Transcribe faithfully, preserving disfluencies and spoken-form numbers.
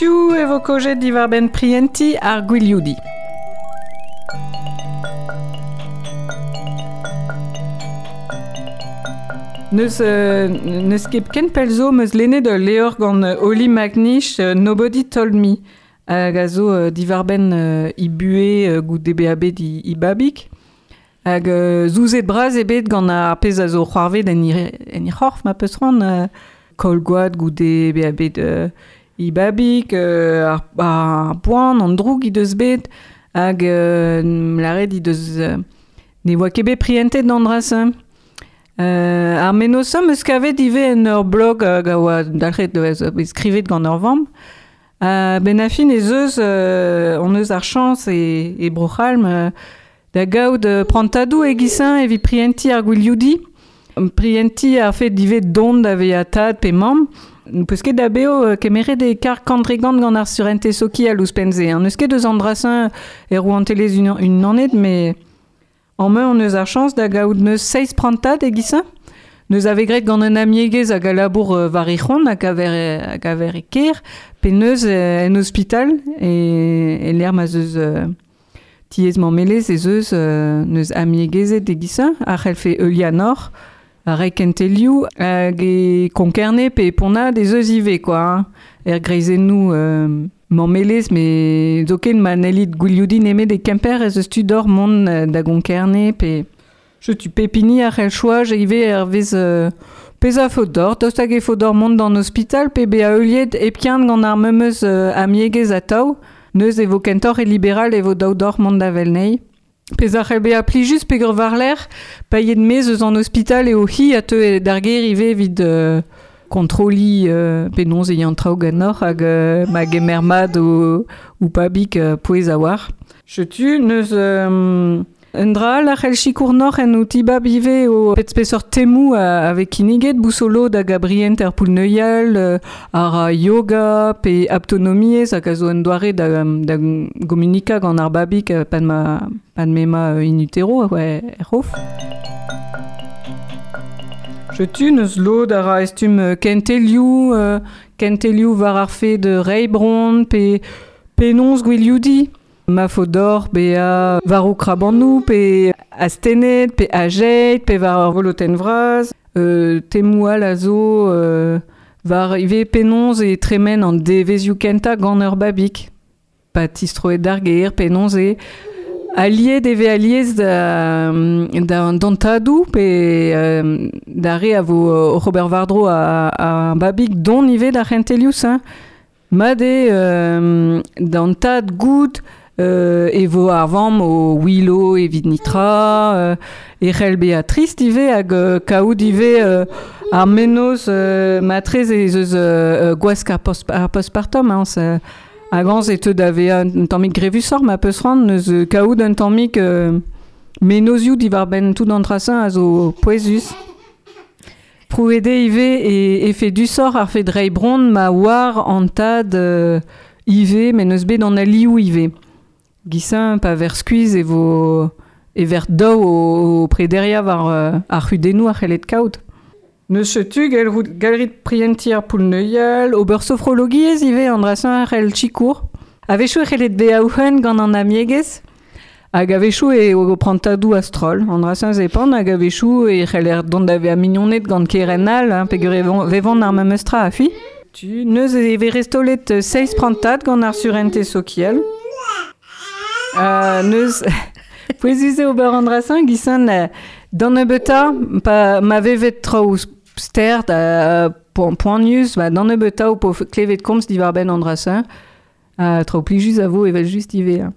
Piv e vo kaojet diwar-benn prientiñ ar gwilioudiñ. Neus, euh, neus ket ken pell zo meus lennet ul levr gant Holly McNish, euh, Nobody Told Me, hag a zo euh, diwar-benn euh, i buhe euh, goude bezañ bet i, i babig. Hag euh, zouzet bras eo bet gant ar pezh a zo c'hoarvet en i, en i c'horf ma peus c'hoant, euh, koll gwad goude bezañ bet euh, i babig, euh, ar, ar poan, an droug he deus bet, hag euh, lâret he deus euh, ne oa ket bet prientet d'an dra-se. Euh, ar mennozh am eus kavet ivez en ur blog hag a oa dalc'het da bet skrivet gant ur vamm. Uh, ben a fin ez eus, euh, on eus ar chañs e, e Bro-C'hall euh, da gaout euh, prantadoù e-giz-se evit prientiñ ar gwilioudiñ. Prientiñ ar fet ivez dont da vezañ tad pe mamm. N'eus ket da beo euh, kemeret e kar kant-dre-gant gant ar surentez sokial ouzhpenn-se. Hein. N'eus ket eus an dra-se e rouantelezh unan, unanet, mais en main on eus ar chañs da gaout neus seizh prantad e-giz-se. Neus ave graet gant un amiegez hag a labour euh, war he c'hont hag a ver, hag a ver e kêr, pe neus euh, en ospital e, e lec'h ma 'z eus euh, tiez mammelezh ez eus euh, neus amiegezed e-giz-se, a c'hellfe heuliañ nor, a reiñ kentelioù hag e Konkerne pe e Ponnad ez eus ivez quoi, hein. Er greizennoù euh, mammelezh, met zoken ma n'hellit gwilioudiñ nemet e Kemper ez eus tu d'or mont euh, da Gonkerne pe... Setu pep hini a c'hell choaz ivez hervez euh, pezh a faot d'or, daoust hag e faot d'or mont d'an ospital pe bezañ heuliet hepken gant ar memes euh, amiegez atav, neuze e vo kentoc'h e libéral e vo dav d'or mont da Velnei. Pezh a c'hell bezañ plijus peogwir war-lerc'h, paeet maez eus an ospital eo hi a teu d'ar gêr ivez evit euh, kontrolliñ euh, penaos e ya an traoù ganeoc'h hag euh, ma gemer mat o, ou pabig euh, pouez a-walc'h. Setu neus euh, un dra all a c'hell sikour noc'h en o tibab ivez o pet spesor temoù a, avec kinniget bousolo da Gabrien er poull-neuial, euh, ar yoga pe aptonomiezh hag a zo un doare da, da gomunika gant ar babig euh, pan ma, pan m'ema euh, in utero ouais, er c'hof. Setu neus lod a ra estum euh, kentelioù, euh, kentelioù war ar fet reiñ bronn pe penaos gwilioudiñ. Ma faot d'or bezañ war ho krabanoù pe astennet pe ajet pe war ur volotenn vras. Euh, temoù all a zo euh, war ivez penaos e tremen an devezioù kentañ gant ur babig. Pa tistroet d'ar gêr penaos e aliet e vez alies da, da d'an tadoù pe euh, d'ar re a vo oc'h ober war-dro a, a babig dont ivez d'ar c'hentelioù-se. Mat eo euh, d'an tad goût euh, e vo ar vamm o ouelo evit nitra, euh, e c'hell bezañ trist ivez hag euh, kaout ivez euh, ar mennozh euh, matrez ez eus euh, gwask ar, post, ar postpartum, hein, se, hag añs e teu da vezañ un tammig grevusoc'h ma peus c'hoant neus euh, kaout un tammig euh, mennozioù diwar-benn tout an dra-se a zo pouezus. Prouet eo ivez e efedusoc'h ar fet reiñ bronn ma oar an tad euh, ivez, met n'eus bet an alioù ivez. Giz-se pa ver skuizh e vo e ver daou o, o prederiañ war euh, ar c'hudennoù a c'hellet kaout. Neus setu gallout gallerit prientiñ ar poull-neuial, ober sofrologiezh ivez an dra-se a c'hell sikour. A-wechoù e c'hellet bezañ ouc'hen gant an amiegez, hag a-wechoù e o prantadoù a-stroll. An dra-se zepant hag a-wechoù e c'heller dont da vezañ mignoned gant keren all, hein, peogwir e vevont, vevont ar memes tra a fi. Tu neus e vez restaolet seizh prantad gant ar surentez sokial. Euh, neus pouezus eo ober an dra-se giz-se euh, d'an nebeutañ pa ma vevet traoù stert euh, poan, poanius, ba d'an nebeutañ ho po klevet komz diwar-benn an dra-se. Uh, traoù plijus a vo evel just ivez. Hein.